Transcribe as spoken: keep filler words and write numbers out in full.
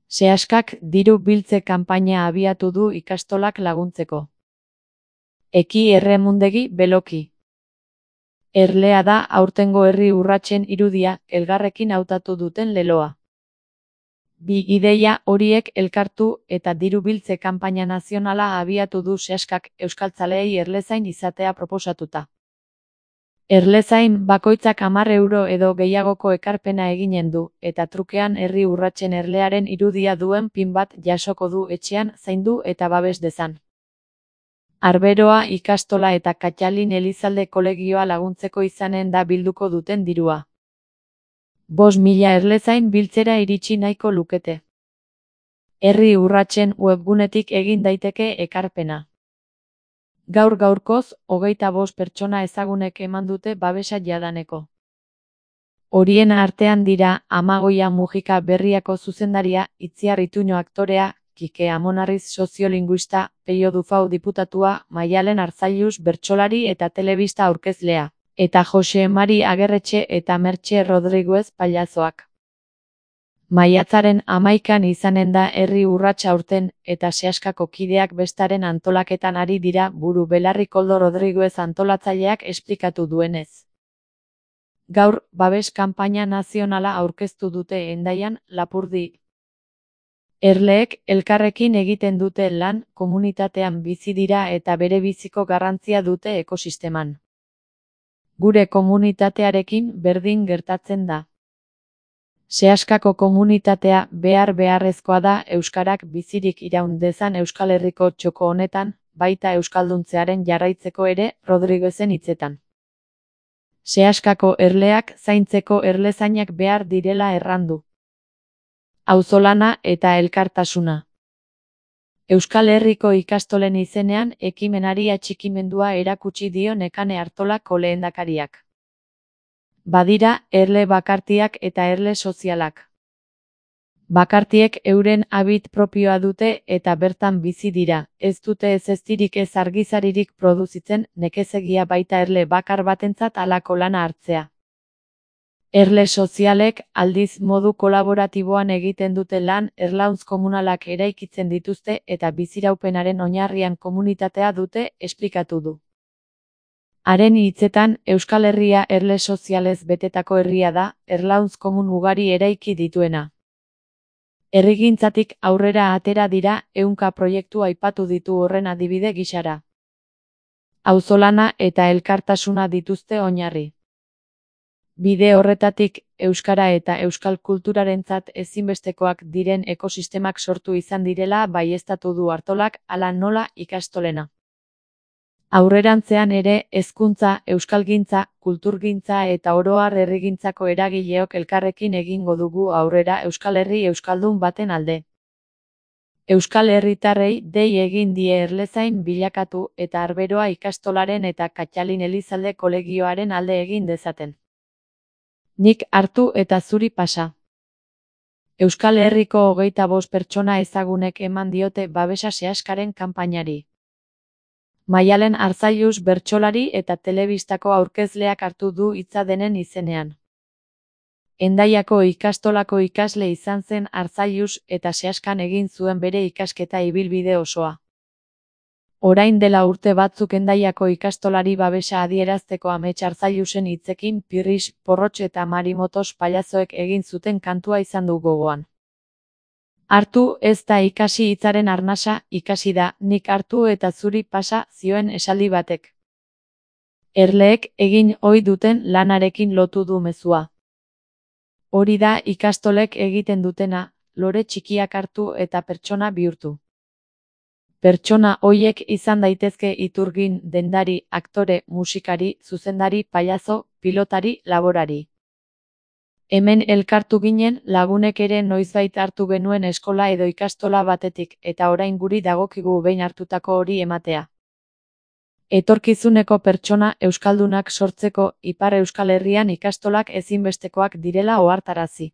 Seaskak diru biltze kanpaina abiatu du ikastolak laguntzeko. Eki erremundegi beloki. Erlea da aurtengo herri urratsen irudia elgarrekin hautatu duten leloa. Bi ideia horiek elkartu eta diru biltze kanpaina nazionala abiatu du Seaskak euskaltzaleei erlezain izatea proposatuta. Erlezain bakoitzak hamar euro edo gehiagoko ekarpena eginen du, eta trukean herri urratsen erlearen irudia duen pin bat jasoko du etxean zaindu eta babes dezan. Arberoa ikastola eta Katxalin Elizalde kolegioa laguntzeko izanen da bilduko duten dirua. Bost mila erlezain biltzera iritsi nahiko lukete. Herri urratsen webgunetik egin daiteke ekarpena. Gaur gaurkoz, hogeita bost pertsona ezagunek eman dute babesa jadaneko. Horien artean dira Amagoia Mujika Berriako zuzendaria, Itziar Ituño aktorea, Kike Amonarriz soziolinguista, Peio Dufau diputatua, Maialen Arzailuz bertsolari eta telebista aurkezlea, eta Jose Mari Agerretxe eta Mertxe Rodriguez pailazoak. Maiatzaren hamaikan izanen da herri urratsa aurten, eta Seaskako kideak bestaren antolaketan ari dira buru belarri Koldo Rodriguez antolatzaileak esplikatu duenez. Gaur, babes kanpaina nazionala aurkeztu dute Hendaian, Lapurdi. Erleek elkarrekin egiten dute lan, komunitatean bizi dira eta bere biziko garrantzia dute ekosisteman. Gure komunitatearekin berdin gertatzen da. Seaskako komunitatea behar beharrezkoa da euskarak bizirik iraun dezan Euskal Herriko txoko honetan, baita euskalduntzearen jarraitzeko ere, Rodriguezen hitzetan. Seaskako erleak zaintzeko erlezainak behar direla errandu. Auzolana eta elkartasuna. Euskal Herriko ikastolen izenean ekimenari atxikimendua erakutsi dio Nekane Artolako lehendakariak. Badira, erle bakartiak eta erle sozialak. Bakartiek euren habit propioa dute eta bertan bizi dira, ez dute ez eztirik ez argizaririk produzitzen, nekezegia baita erle bakar batentzat halako lana hartzea. Erle sozialek, aldiz modu kolaboratiboan egiten dute lan, erlauntz komunalak eraikitzen dituzte eta biziraupenaren oinarrian komunitatea dute, esplikatu du. Haren hitzetan, Euskal Herria erle sozialez betetako herria da, erlauntz komun ugari eraiki dituena. Herrigintzatik aurrera atera dira, ehunka proiektu aipatu ditu horren adibide gisara. Auzolana eta elkartasuna dituzte oinarri. Bide horretatik, euskara eta euskal kulturarentzat ezinbestekoak diren ekosistemak sortu izan direla baieztatu du Artolak, hala nola ikastolena. Aurrerantzean ere, hezkuntza, euskalgintza, kulturgintza eta oro har herrigintzako eragileok elkarrekin egingo dugu aurrera Euskal Herri euskaldun baten alde. Euskal herritarrei dei egin die erlezain bilakatu eta Arberoa ikastolaren eta Katxalin Elizalde kolegioaren alde egin dezaten. Nik hartu eta zuri pasa. Euskal Herriko hogeita bost pertsona ezagunek eman diote babesa Seaskaren kanpainari. Maialen Arzailuz bertsolari eta telebistako aurkezleak hartu du hitza denen izenean. Hendaiako ikastolako ikasle izan zen Arzailuz eta Seaskan egin zuen bere ikasketa ibilbide osoa. Orain dela urte batzuk Hendaiako ikastolari babesa adierazteko Amets Arzailuzen hitzekin Pirris, Porrotx eta Marimotos pailazoek egin zuten kantua izan du gogoan. Hartu ez da ikasi hitzaren arnasa, ikasi da, nik hartu eta zuri pasa, zioen esaldi batek. Erleek egin ohi duten lanarekin lotu du mezua. Hori da ikastolek egiten dutena, lore txikiak hartu eta pertsona bihurtu. Pertsona hoiek izan daitezke iturgin, dendari, aktore, musikari, zuzendari, pailazo, pilotari, laborari. Hemen elkartu ginen lagunek ere noizbait hartu genuen eskola edo ikastola batetik eta orain guri dagokigu behin hartutako hori ematea. Etorkizuneko pertsona euskaldunak sortzeko Ipar Euskal Herrian ikastolak ezinbestekoak direla ohartarazi.